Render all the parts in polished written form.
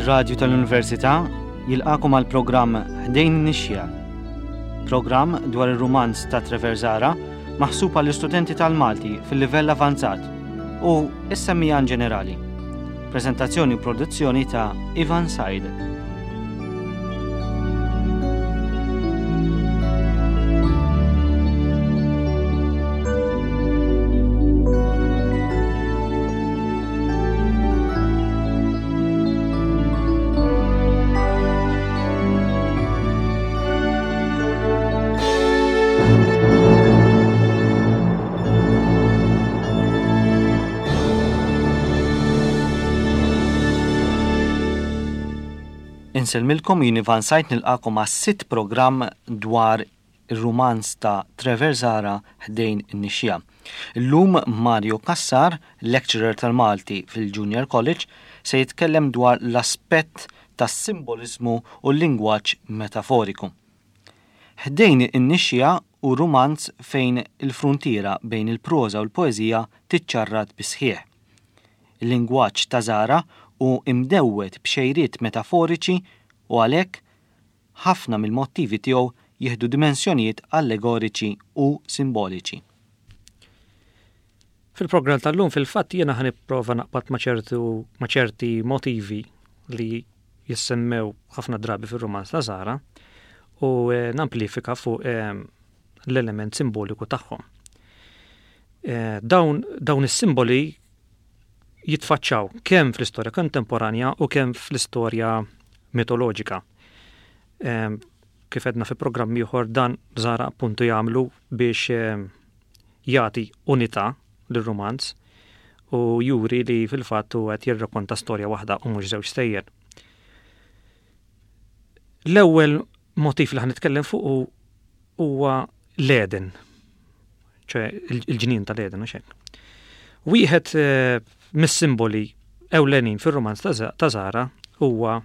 Ir-Radju tal-Università jilqakom għal programm Ħdejn Nixja. Programm dwar ir-rumanz ta' Trevor Zara maħsub għall istudenti tal-Malti fil-livell avanzat u s-semmijan ġenerali. Prezentazzjoni u produzzjoni ta' Ivan Said. Insellmilkom jien Ivan Sajt nilqakom għas-sitt programm dwar ir-rumanz ta' Trevor Zahra Ħdejn in-Nixxiegħa. Illum Mario Cassar, lecturer tal-Malti fil-Junior College, se jitkellem dwar l-aspett tas-simboliżmu u l-lingwaġġ metaforiku. Ħdejn in-Nixxiegħa hu rumanz fejn il-fruntiera bejn il-proża u l-poeżija tiċċarrat bis-sħiħ. Il-lingwaġġ ta' Zahra hu imdewwed b'xejriet metaforiċi u għalhekk Ħafna mill-mottivi tiegħu jieħdu dimensjonijiet allegoriċi u simboliċi. Fil-programm tal-lum fil-fatt jiena ħa nipprova naqbad ma' ċertu ma' ċerti motivi li jissemmew ħafna drabi fir-rumanz ta' Zahra u eh, namplifika fuq eh, l-element simboliku tagħhom. Eh, dawn, dawn is-simboli jitfaċċaw kemm fl-istorja kontemporanja u kemm fl-istorja mitoloġika. Ehm, kif edna fi programm ieħor dan Zara appuntu jagħmlu biex ehm, jagħti unità lir-rumanz u juri li fil-fatt hu qed jirrakkonta storja waħda u mhux żewġ stejjer. L-ewwel motiv li ħanitkellem fuq huwa l-Eden, ċe il-ġnien tal-Eden, u hekk. Wieħed eh, mis-simboli ewlenin fir-rumanz ta' Zara huwa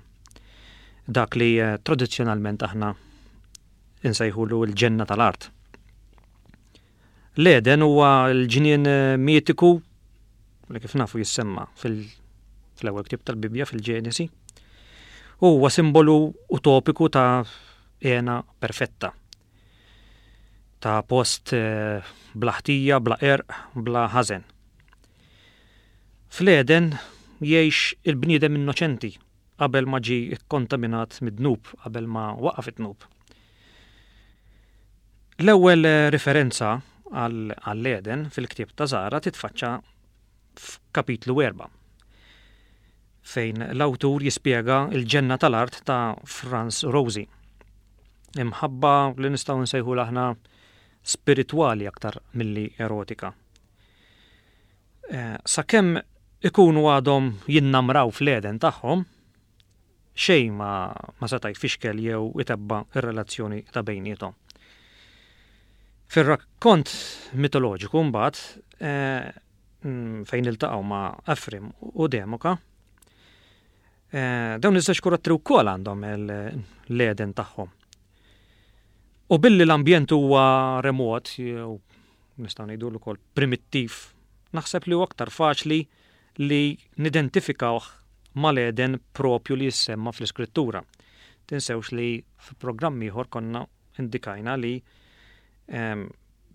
dak li eh, tradizzjonalment aħna insejħulu l-ġenna tal-art. L-Eden huwa l-ġnien eh, mitiku li kif nafu jissemma fil-ewwel ktieb tal-Bibbja fil-Ġenesi. Huwa simbolu utopiku ta' hena perfetta. Ta' post eh, bla ħtija, bla qerq, bla ħażen. Fl-Eden jgħix il-bniedem innoċenti qabel ma ġie kkontaminat mid-dnub, qabel ma waqa' fid-dnub. L-ewwel riferenza għall-Eden fil-ktieb ta' Zara titfaċċa f'kapitlu 4 fejn l-awtur jispjega l-ġenna tal-art ta' Franz Rosi. Imħabba li nistgħu nsejħulha aħna spiritwali aktar milli erotika. Eh, sakemm ikunu għadhom jinnamraw fl-Eden tagħhom, xejn ma, ma seta' jfixkel jew itebba r-relazzjoni ta' bejniethom. Fir-rakkont mitoloġiku mbagħad eh, mm, fejn iltaqgħu ma' Efrim u Demoka, eh, dawn iż-żewġ karattri wkoll għandhom l-Eden tagħhom. U billi l-ambjent huwa remot jew nistgħu ngħidu ukoll primittiv, naħseb li huwa aktar faċli li nidentifikawh mal-Eden propju li jissemma fl-Iskrittura. Tinsewx li f'programm ieħor konna indikajna li ehm,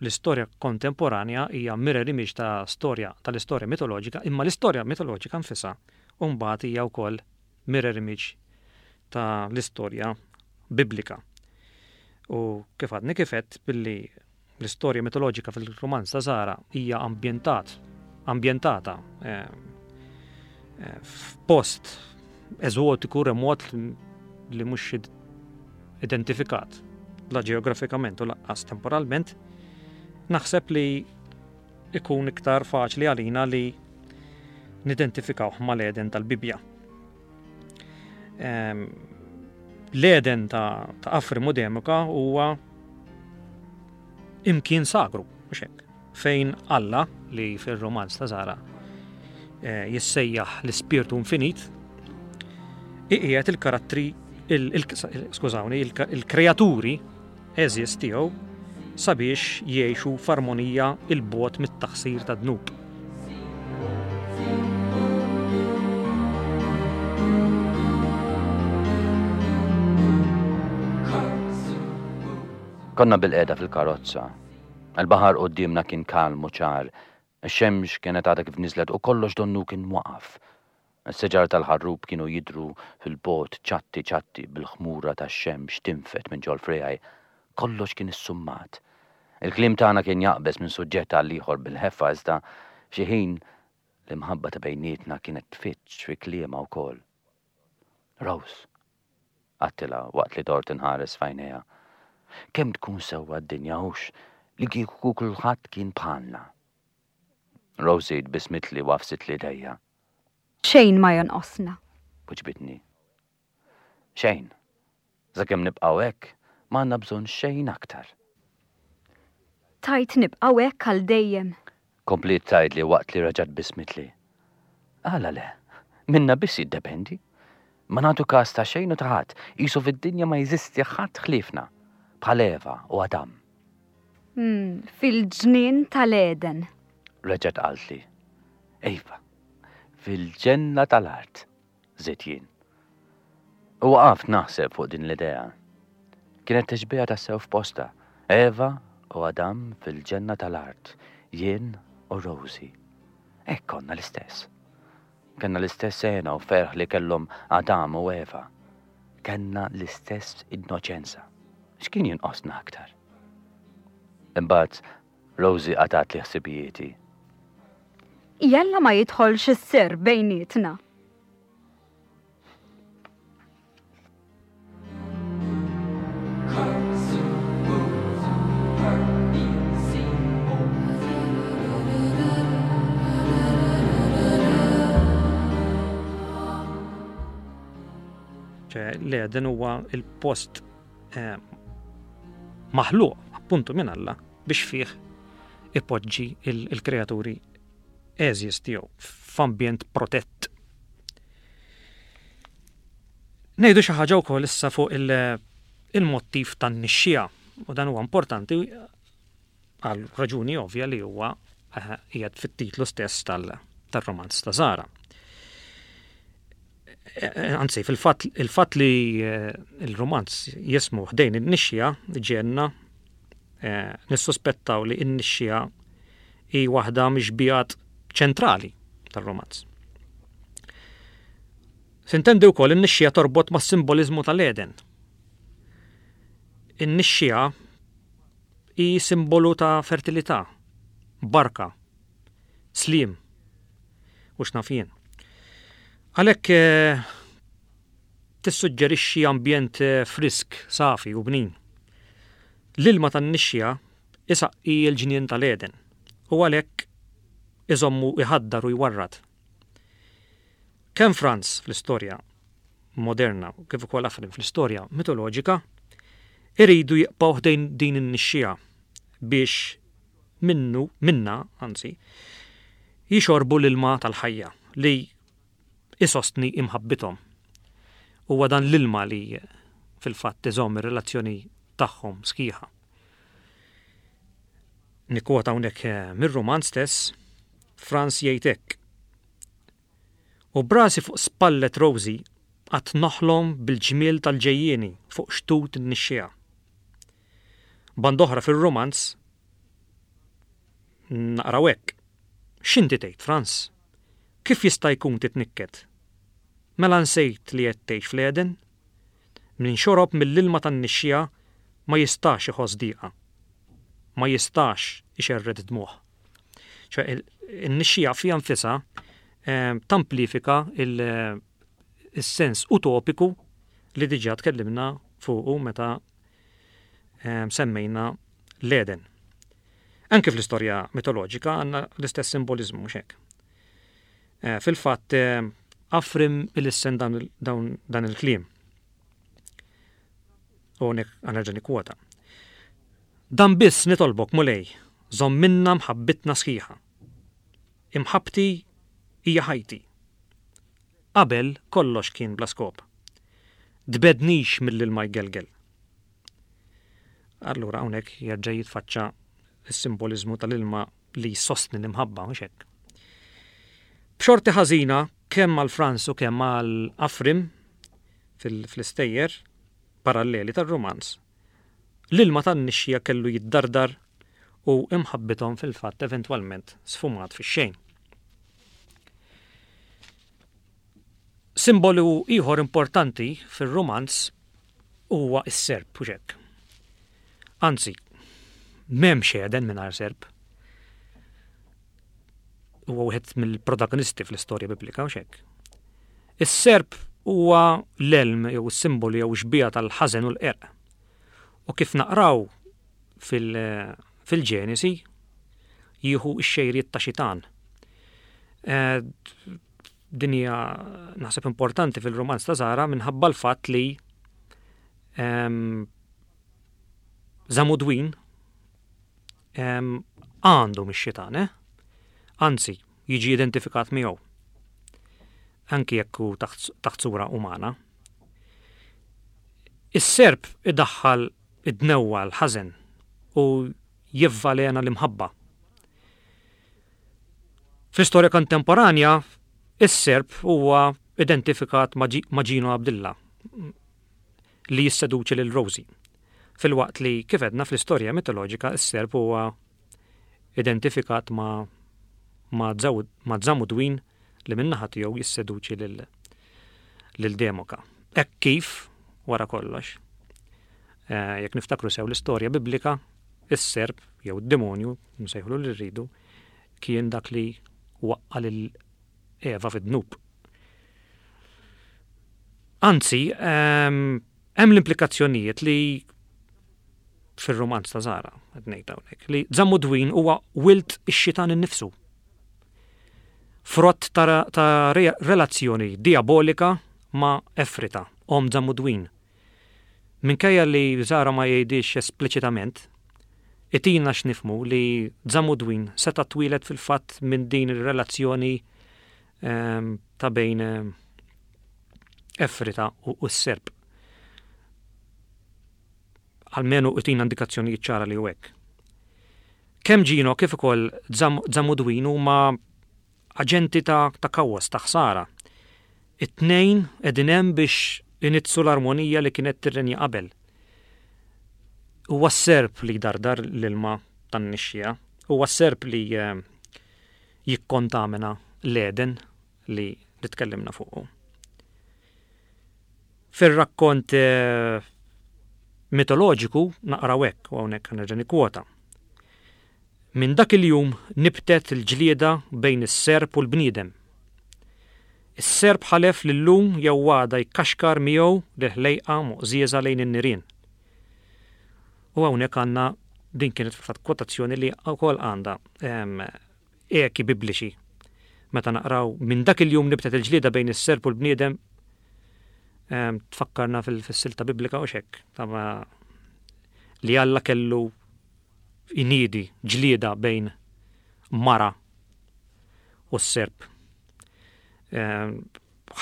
l-istorja kontemporanja hija mirror image ta' storja tal-istorja mitoloġika, imma l-istorja mitoloġika nfisha mbagħad hija wkoll mirror image ta' l-istorja biblika. U kif għadni kif għedt billi L-istorja mitoloġika fil-rumanz ta' Zara hija ambjentat, ambjentata eh, eh, f'post eżotiku remot li mhux identifikat la ġeografikament u laqqas temporalment, naħseb li ikun iktar faċli għalina li nidentifikawh mal-Eden tal-Bibbja. Ehm, L-Eden ta' Afri Mudemika huwa imkien sagru, mhux hekk, fejn Alla li fir-romanz ta' Zara eh, jissejjaħ l-ispirtu infinit, iqiegħed il-karattri skużawni, il-kreaturi għeżież tiegħu sabiex jgħixu f'armonija 'l bogħod mit-taħsir tad-dnub. Konna bilqiegħda fil-karozza. Il-baħar quddiemna kien kalm u ċar. Ix-xemx kienet għadha kif niżlet u kollox donnu kien waqaf. Is-siġar tal-ħarrub kienu jidhru fil-bogħod ċatti ċatti bil-ħmura tax-xemx tinfed minn ġol-friegħi. Kollox kien issummat. Il-kliem tagħna kien jaqbeż minn suġġett għal ieħor bil-ħeffa iżda f'xi ħin l-imħabba ta' bejnietna kienet tfiġġ fi kliemha wkoll. Rose, għedtilha waqt li dort inħares f'għajnejha, kemm tkun sewwa d-dinja hux li kieku kulħadd kien bħalna. Rosie tbissmitli u għafsitli idejja. Xejn ma jonqosna. Wiġbitni. Xejn. Sakemm nibqgħu hekk, ma għandna bżonn xejn aktar. Tgħid nibqgħu hekk għal dejjem? Kompliet tgħidli waqt li reġgħet tbissmitli. Għala le? Minna biss jiddependi. Ma nagħtu kas ta' xejn u ta' ħadd, qisu fid-dinja ma jeżisti ħadd ħliefna, bħal Eva u Adam. Fil-ġnien tal-Għeden. Reġgħet qaltli. Iva, fil-ġenna tal-art, żidt jien. U waqaft naħseb fuq din l-idea. Kienet tixbiha tassew f'postha, Eva u Adam fil-ġenna tal-art, jien u Rosie. Hekk konna l-istess. Kellna l-istess hena u ferħ li kellhom Adam u Eva. Kellna l-istess innoċenza. X'kien jinqosna aktar? Imbagħad Rosie qatgħatli ħsibijieti. Jalla ma jidħolx is-sir bejnietna. L-Eden huwa il-post eh, maħluq appuntu minn Alla biex fih ipoġġi il-kreaturi għeżież tiegħu f'ambjent protett. Ngħidu xi ħaġa wkoll issa fuq il-mottiv tan-nixxiegħa u dan huwa importanti għal raġuni ovvja li huwa eh, qiegħed fit-titlu stess tal-romanz ta' Zara. Eh, eh, anzi, fil-fatt il-fatt li il-romanz jismu ħdejn in-nixxija ġenna nissuspettaw li n-nixxija hi waħda mix-xbihat ċentrali tar-romanz. Sintendi wkoll in-nixxija torbot mas-simboliżmu tal-Eden. In-nixxija hi simbolu ta' fertilità, barka, sliem u x'naf jien. Għalhekk eh, tissuġġerixxi ambjent eh, frisk, safi u bnin. L-ilma tan-nixxija isaqqi l-ġnien tal-Eden u għalhekk iżommu jħaddar u jwarrad. Kemm Franz fl-istorja moderna kif ukoll Afrim fl-istorja mitoloġika iridu jibqgħu ħdejn din in-nixxiegħa biex minnu, minnha, anzi, jixorbu l-ilma tal-ħajja li isostni imħabbithom. Huwa dan l-ilma li fil-fatt iżomm ir-relazzjoni tagħhom sħiħa. Nikkwota hawnhekk eh, mir-rumanz stess, Franz jgħid hekk. U brasi fuq spallet Rosie qatt noħlom bil-ġmiel tal-ġejjieni fuq xtut in-nixxiegħa. Band'oħra fir-rumanz naqraw hekk. X'inti tgħid, Franz? Kif jista' jkun titnikket? Mela nsejt li qed tgħix fl-Għeden? Min xorob mill-ilma tan-nixxiegħa ma jistax iħoss diqa. Ma jistax ixerred dmugħ. ċe in-nixxiegħa fiha nfisha eh, tamplifika il-sens utopiku li diġà tkellimna fuqu meta eh, semmejna l-Eden. Anke fl-istorja mitoloġika għandna l-istess simbolizmu mhux hekk. Eh, fil-fatt Afrim il-issen dan il-kliem. U hawnhekk nerġa' nikkwota. Dan biss nitolbok, Mulej, żommilna mħabbitna sħiħa. Imħabbti hija ħajti. Qabel kollox kien bla skop. Tbegħdnix mill-ilma jgelgel. Allura hawnhekk jerġa' jitfaċċa s-simboliżmu tal-ilma li jsostni l-imħabba, mhux hekk. B'xorti ħażina kemm għal Franz u kemm għal Afrim fl-istejjer paralleli tar-rumanz. L-ilma tan-nixxija kellu jiddardar u imħabbithom fil-fatt eventwalment sfumat fix-xejn. Simbolu ieħor importanti fir-rumanz huwa s-serp, hux hekk? Anzi, m'hemmx Eden mingħajr serp. Huwa wieħed mill-protagonisti fl-istorja biblika, hux hekk? Is-serp huwa l-elm jew is-simbolu jew xbieha tal-ħażen u l-qerq. U kif naqraw fil-Ġenesi jieħu x-xejriet ta' xitan. Eh, din hija naħseb importanti fil-romanz ta' Zara minħabba l-fatt li ehm, Zamudwin ehm, għandu mix-xitan, eh? Anzi, jiġi identifikat miegħu. Anki jekk hu taħt sura umana. Is-serp idaħħal id-dnewwa l-ħażen u jivvalena l-imħabba. Fl-istorja kontemporanja, is-Serb huwa identifikat ma' Gino Abdilla li jisseduċi lil Rosie, filwaqt li, kif għedna, fl-istorja mitoloġika s-Serb huwa identifikat ma' ma' Zamudwin li min-naħa tiegħu jisseduċi lil Demoka. Hekk kif, wara kollox, eh, jekk niftakru sew l-istorja biblika, is-serp jew id-demonju, nsejħulu li rridu, kien dak li waqqa' lil Eva fid-dnub. Anzi, ehm, hemm l-implikazzjonijiet li fir-romanz ta' Zara, qed ngħid hawnhekk, li Zamudwin huwa wilt ix-xitan innifsu. Frott ta', ta relazzjoni diabolika ma' Efrita, om Zamudwin. Minkejja li Zara ma jgħidhiex espliċitament, itina x'nifhmu li Zamudwin seta' twieled fil-fatt minn din ir-relazzjoni ta' bejn Efrita u s-Serb. Almenu itina indikazzjonijiet ċara li hu hekk. Kemm Gino kif ukoll Zamudwin huma Aġenti ta' ta' kaos, ta' ħsara. It-tnejn qegħdin hemm biex inizzu l-armonija li kienet tirrenja qabel. Huwa s-serp li jdardar l-ilma tan-nixxiegħa. Huwa s-serp li jikkontamina l-Għeden li li tkellimna fuqu. Fir-rakkont mitoloġiku naqraw hekk, u hawnhekk nerġa' nikkwota. Minn dak il-jum nibtet il-ġlieda bejn is-serp u l-bniedem. Is-serp ħalef li llum jew għada jkaxkar miegħu lill-ħlejqa moqżieża lejn in-nirien. U hawnhekk għandna din kienet fil-fatt kwotazzjoni li wkoll għandha ehm, eki bibliċi. Meta naqraw minn dak il-jum nibtet il-ġlieda bejn is-serp u l-bniedem ehm, tfakkarna fil-silta biblika u xekk li Alla kellu iniedi ġlieda bejn mara u s-Serb. Ehm,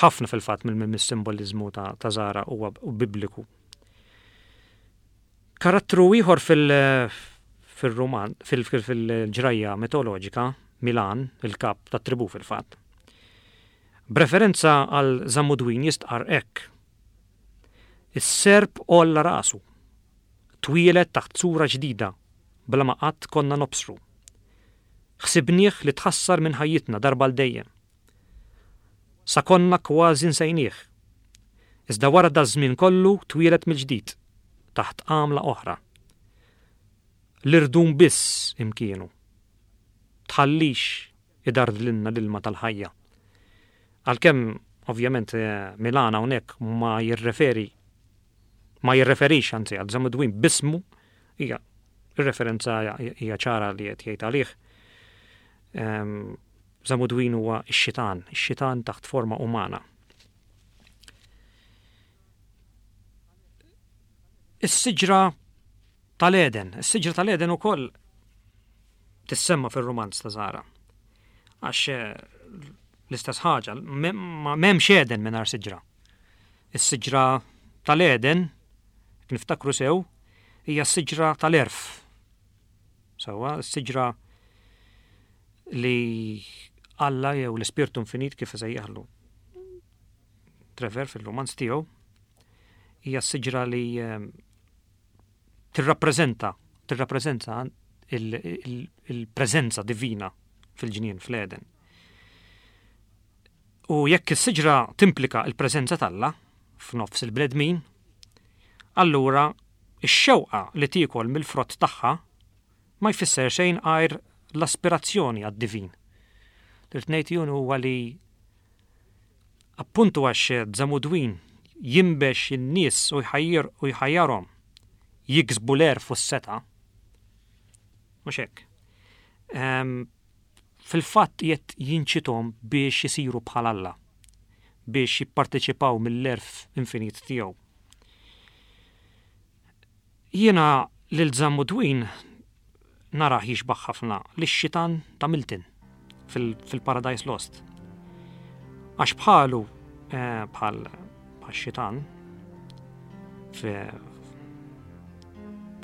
ħafna fil-fatt mill-simboliżmu ta' Zara huwa bibliku. Karattru ieħor fil-roman, fil-ġrajja mitoloġika, Milan, il-kap tat-tribù fil-fatt. B'referenza għal Zamudwin jistqarr hekk. Is-Serb għolla rasu. Twieled taħt sura ġdida bla ma qatt konna nobsru. Ħsibnieh li tħassar minn ħajjitna darba għal dejjem. Sa konna kważi nsejnieh. Iżda wara daż-żmien kollu twieled mill-ġdid, taħt għamla oħra. L-irdum biss imkienu. Tħallix idardlilna l-ilma tal-ħajja. Għalkemm, ovvjament, Milan hawnhekk ma jirreferi ma jirreferix anzi għal Zamudwin b'ismu, hija ir-referenza hija ċara li qed jgħid għalih. Ehm, Zamudwin huwa x-xitan, ix-xitan taħt forma umana. Is-siġra tal-Eden, is-siġra tal-Eden ukoll tissemma fir-rumanz ta' Zara. Għax eh, l-istess ħaġa, m'hemmx Eden mingħajr siġra. Is-siġra tal-Eden, jekk niftakru sew, hija s-siġra tal-għerf. Sewwa, s-siġra li Alla jew l-Ispirtu Infinit kif isejjaħlu Trevor fil-romanz tiegħu, hija s-siġra li eh, tirrappreżenta tirrappreżenta il-preżenza divina fil-ġnien fl-Eden. U jekk is-siġra timplika l-preżenza t'Alla f'nofs il-bnedmin, allura x-xewqa li tiekol mill-frott tagħha ma jfisser xejn għajr l-aspirazzjoni għad-divin. Li rrid ngħid jien huwa li appuntu għax Zamudwin jinbex in-nies u jħajjir u jħajjarhom jiksbu l-għerf u s-setgħa, mhux hekk. Ehm, fil-fatt qiegħed jinċithom biex isiru bħal Alla, biex jipparteċipaw mill-għerf infinit tiegħu. Jiena lil Zammudwin narah jixbah ħafna lix-xitan ta' Milton fil-Paradise Lost. Għax bħalu eh, bħal xitan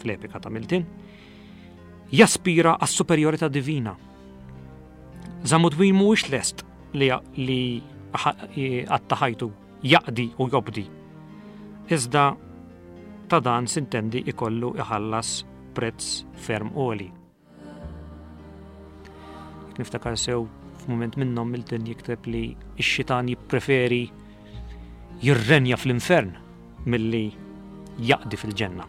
fl-epika ta' Milton, jaspira għas-superjorità divina. Zamudwin mhuwiex lest li li għatta ħajtu jaqdi u jobdi. Iżda ta' dan sintendi ikollu iħallas prezz ferm għoli. Niftakar sew f'mument minnhom Milton jikteb li x-xitan jippreferi jirrenja fl-infern milli jaqdi fil-ġenna.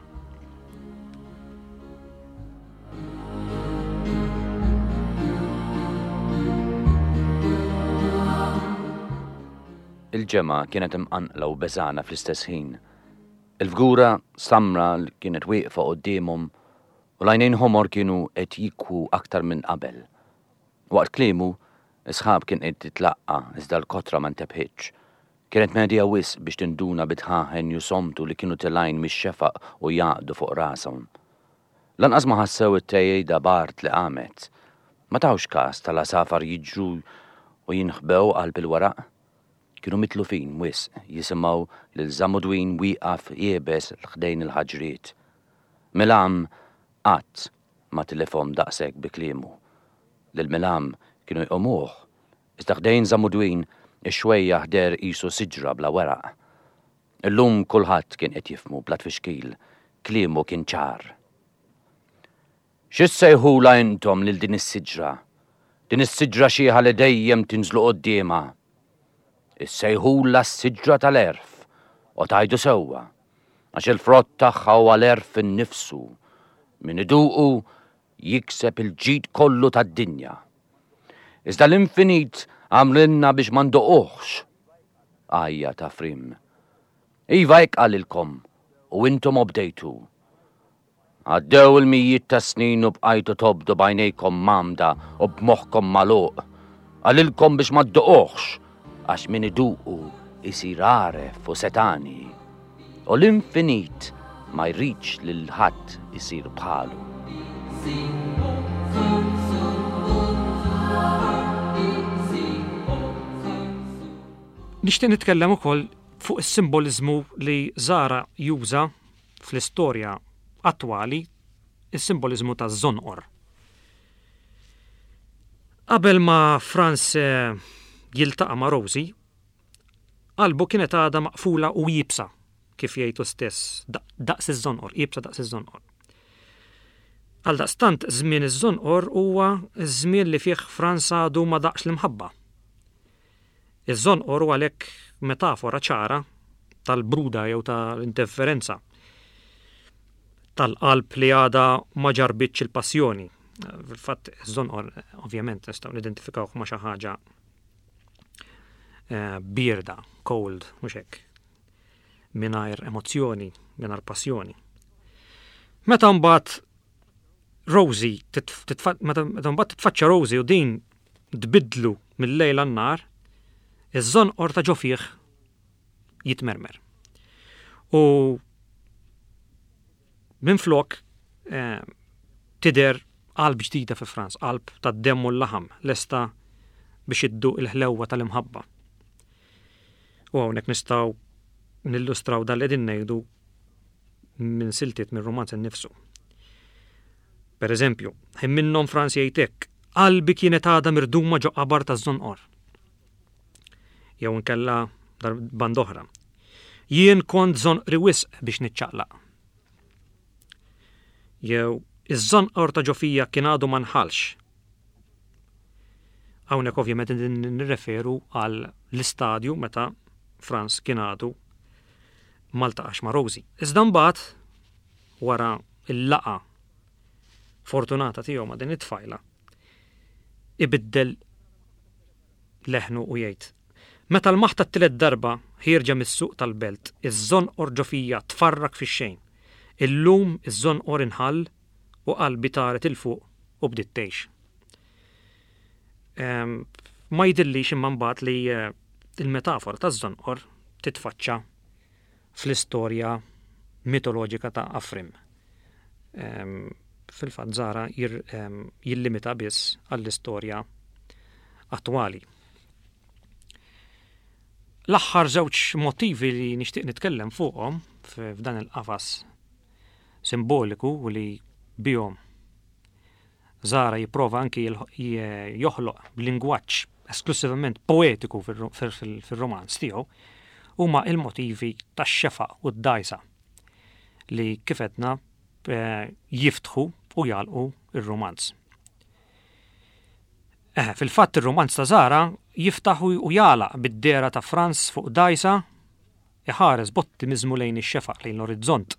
Il-ġemgħa kienet imqanqla u beżgħana fl-istess ħin. Il-fgura samra li kienet wieqfa quddiemhom u l-għajnejn ħomor kienu qed jikwu aktar minn qabel. Waqt kliemu, is-sħab kien qed jitlaqqa' iżda l-kotra ma ntebħitx. Kienet medhija wisq biex tinduna bid-dħaħen jusomtu li kienu telgħin mix-xefaq u jgħaqqdu fuq rashom. Lanqas ma ħassew it-tgħejjda b'art li qamet. Ma tawx kas tal-għasafar jiġru u jinħbew qalb il-weraq. Kienu mitlufin wisq jisimgħu lil Żamudwin wieqaf iebes ħdejn il-ħaġriet. Milam qatt ma tilifhom daqshekk bi kliemu. Lil Milam kienu jqumuh, iżda ħdejn Żamudwin ix-xwejjaħ deher qisu siġra bla weraq. Illum kulħadd kien qed jifhmu bla tfixkil, kliemu kien ċar. Xi ssejħulha intom lil din is-siġra, din is-siġra xiħa li dejjem tinżlu quddiemha? Issejħulha s-siġra tal-għerf, u tgħidu sewwa, għax il-frott tagħha huwa l-għerf innifsu. Min iduqu jikseb il-ġid kollu tad-dinja. Iżda l-infinit għamlilna biex ma nduquhx, għajjat Afrim. Iva hekk qalilkom u intom obdejtu. Għaddew il-mijiet ta' snin u bqajtu tobdu b'għajnejkom mgħammda u b'moħħkom magħluq. Qalilkom biex ma dduquhx, għax min iduqu jsir għaref u setgħani. U l-infinit ma jridx lil ħadd isir bħalu. Nixtieq nitkellem ukoll fuq is-simboliżmu li Zahra juża fl-istorja attwali s-simboliżmu taż-żonqor. Qabel ma Frans jiltaqa' ma' Rosie, qalbu kienet għadha maqfula u iebsa, kif jgħid hu stess, daqs iż-żonqor, iebsa daqs iż-żonqor. Għaldaqstant żmien iż-żonqor huwa ż-żmien li fih Frans għadu ma daqx l-imħabba. Iż-żonqor hu għalhekk metafora ċara tal-bruda jew tal-indifferenza tal-qalb li għadha ma ġarbitx il-passjoni. Fil-fatt, iż-żonqor ovvjament nistgħu nidentifikawh ma' xi ħaġa eh, bierda, cold, mhux hekk. Mingħajr emozzjoni, mingħajr passjoni. Meta mbagħad Rosie, meta mbagħad titfaċċa Rosie u din tbiddlu mil-lejl għan-nhar, iż-żonqor ta' ġo fih jitmermer. U minflok eh, tidher qalb ġdida fi Franz, qalb tad-demm u l-laħam, lesta biex idduq il-ħlewwa tal-imħabba. U hawnhekk nistgħu nillustraw dan li qegħdin ngħidu minn siltiet mir-rumanz innifsu. Per eżempju, ħin minnhom Franz jgħid hekk, qalbi kienet għadha mirduma ġo qabar taż-żonqor. Jew inkella band oħra. Jien kont żonqri wisq biex niċċaqlaq. Jew iż-żonqor ta' ġo fija kien għadu ma nħallx. Hawnhekk ovvjament qegħdin nirreferu għal l-istadju meta Frans kien għadu ma ltaqax ma' Rosie. Iżda mbagħad wara l-laqgħa fortunata tiegħu ma' din it-tfajla, ibiddel leħnu u jgħid, Meta lmaħt għat-tielet darba ħierġa mis-suq tal-belt, iż-żonqor ġo fija tfarrak fix-xejn. Illum iż-żonqor inħall u qalbi taret 'il fuq u bdiet tgħix. Ma jidhirlix imma mbagħad li l-metafora taż-żonqor titfaċċa fl-istorja mitoloġika ta' Afrim. Fil-fatt Zara jillimita biss għall-istorja attwali. L-aħħar żewġ motivi li nixtieq nitkellem fuqhom f'dan il-qafas simboliku u li bihom Zara jipprova anki joħloq lingwaġġ esklusivament poetiku fir-romanz tiegħu huma il-motivi tax-xefaq u d-dgħajsa li kif għedna eh, jiftħu u jagħlqu ir-romanz. Eh, fil-fatt ir-romanz ta' Zara jiftaħ u jagħlaq bid-dehra ta' Franz fuq dgħajsa iħares b'ottimiżmu lejn ix-xefaq lejn l-orizzont.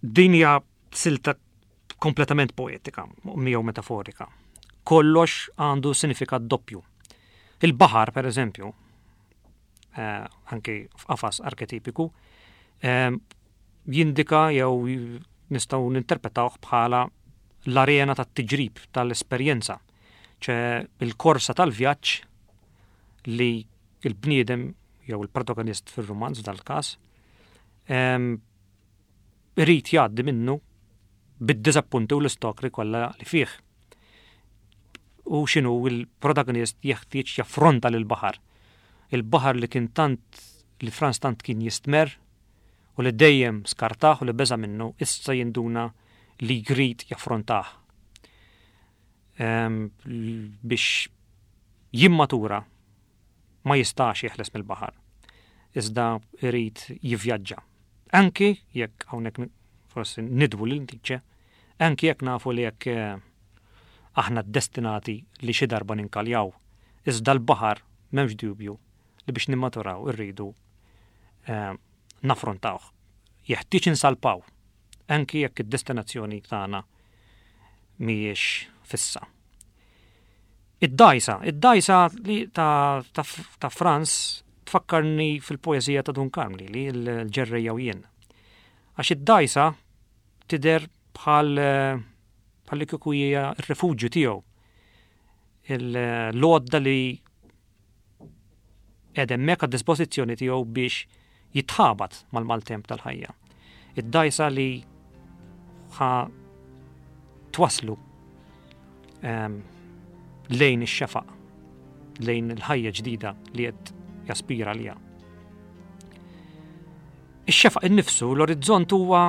Din hija silta kompletament poetika, jew metaforika. Kollox għandu sinifikat doppju. Il-baħar, per eżempju, eh, anki f'qafas arketipiku, eh, jindika jew nistgħu ninterpretawh bħala l-arena tat-tiġrib tal-esperjenza, ċe il-korsa tal-vjaġġ li il-bniedem jew il-protagonist fir-rumanz dal-każ eh, irid jgħaddi minnu bid-diżappunti u l-istakli kollha li fih. U x'inhu l-protagonist jeħtieġ jaffronta lill-baħar. Il-baħar li kien tant li Franz tant kien jistmerr u li dejjem skartah u li beża' minnu issa jinduna li jrid jaffrontah. Ehm, biex jimmatura ma jistax jeħles mill-baħar, iżda jrid jivvjaġġa. Anki jekk hawnhekk forsi nidwu lil Nietzsche, anki jekk nafu li jekk eh, aħna destinati li xi darba ninkaljaw, iżda l-baħar m'hemmx dubju li biex nimmaturaw irridu eh, naffrontawh. Jeħtieġ insalpaw, anki jekk id-destinazzjoni tagħna mhijiex fissa. Id-dgħajsa, id-dgħajsa li ta', ta, ta Franz tfakkarni fil-poeżija ta' Dun Karm li l-ġerrejja u jien. Għax id-dgħajsa tidher bħal bħal li kieku hija r-refuġju tiegħu. L-għodda li qiegħda hemmhekk għad-dispożizzjoni tiegħu biex jitħabat mal-maltemp tal-ħajja. Id-dgħajsa li ħa twaslu ehm, lejn ix-xefaq, lejn il-ħajja ġdida li qed jaspira għaliha. Ix-xefaq innifsu, l-orizzont huwa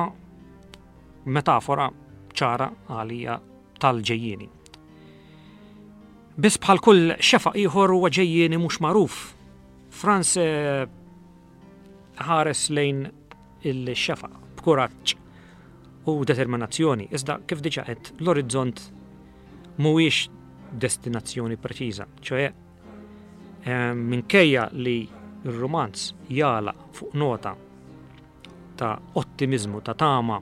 metafora ċara għalija tal-ġejjieni. Biss bħal kull xefaq ieħor huwa ġejjieni mhux magħruf. Franz eh, ħares lejn il-xefaq b'kuraġġ u determinazzjoni, iżda kif diġa qed l-orizzont mhuwiex destinazzjoni preċiża, ċoe eh, minkejja li r-rumanz jala fuq nota ta' ottimizmu, ta' tama,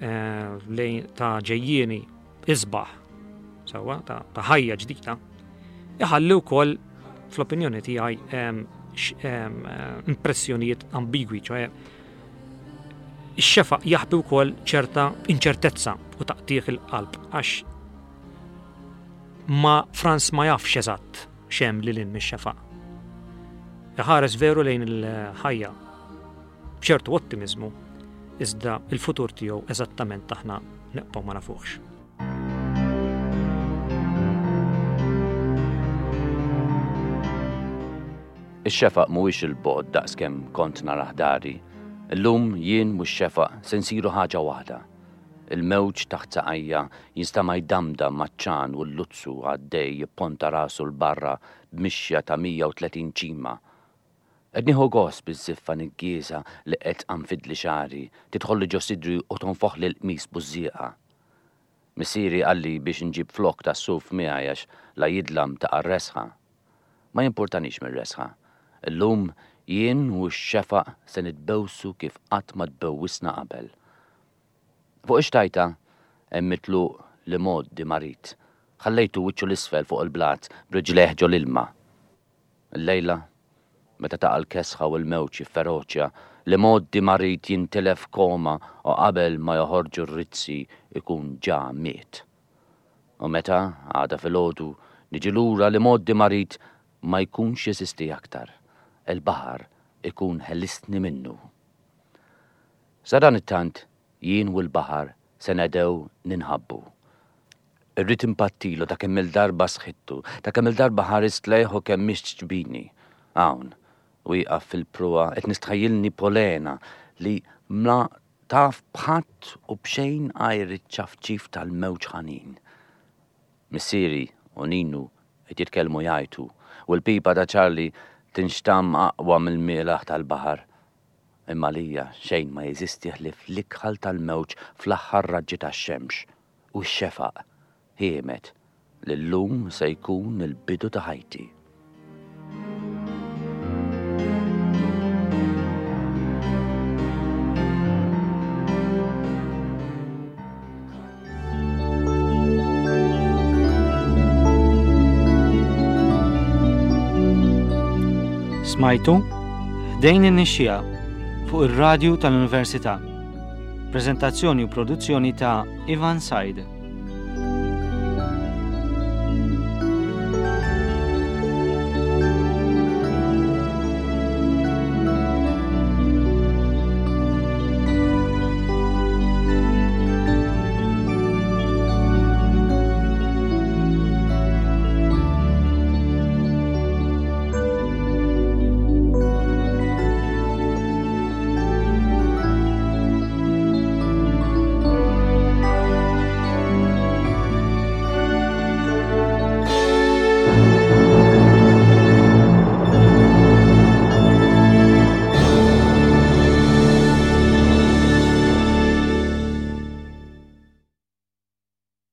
eh, lejn ta' ġejjieni isbaħ, sewwa, ta' ħajja ġdida, iħalli wkoll fl-opinjoni tiegħi impressjonijiet ambigwi, ċoe ix-xefaq jaħbi wkoll ċerta inċertezza u taqtieħ il-qalb għax ma Franz ma jafx eżatt xem li lin mix-xefaq. Iħares veru lejn il-ħajja b'ċertu ottimiżmu, iżda l-futur tiegħu eżattament aħna neqbgħu ma nafuhx. Ix-xefaq mhuwiex 'il bogħod daqskemm kont narah dari. Illum jien u x-xefaq se nsiru ħaġa waħda. Il-mewġ taħt saqajja jinstama' jdamdam maċ-ċan u l-luzzu għaddej jipponta rasu 'l barra b'mixja ta' 130 ċima. Qed nieħu gost biż-żiffa niggieża li qed tqanfidli xagħri, tidħolli ġo sidri u tonfoħli l-qmis bużżieqa. Missieri qalli biex inġib flokk tas-suf miegħi għax la jidlam taqa' r-resħa. Ma jimpurtanix mir-resħa. Illum jien u x-xefaq se nitbewsu kif qatt ma tbewwisna qabel. Fuq ix-xtajta hemm mitluq l-imgħoddi marid. Ħallejtu wiċċu 'l isfel fuq il-blat b'riġlejh ġol-ilma. Illejla, meta taqa' l-kesħa u l-mewġ jifferoċja, l-imgħoddi marid jintilef f'koma u qabel ma joħorġu r-rizzi jkun ġa miet. U meta, għada filgħodu, niġi lura l-imgħoddi marid ma jkunx jeżisti aktar, il-baħar ikun ħelisni minnu. Sadanittant, jien u l-baħar se nedgħu ninħabbu. Irrid inpattilu ta' kemm-il darba sħittu, ta' kemm-il darba ħarist lejh u kemm mixt ġbini. Hawn, wieqaf fil-pruwa, qed nistħajjilni polena li ma taf b'ħadd u b'xejn għajr iċ-ċafċif tal-mewġ ħanin. Missieri u Ninu qed jitkellmu jgħajtu, u l-pipa ta' Charlie tinxtamm aqwa mill-mielaħ tal-baħar. Imma għalija xejn ma jeżisti ħlief l-ikħal tal-mewġ fl-aħħar raġġi tax-xemx. U x-xefaq ħiemed li llum se jkun il-bidu ta' ħajti. Smajtu Ħdejn in-Nixxiegħa fuq ir-radju tal-Università. Preżentazzjoni u produzzjoni ta' Ivan Said.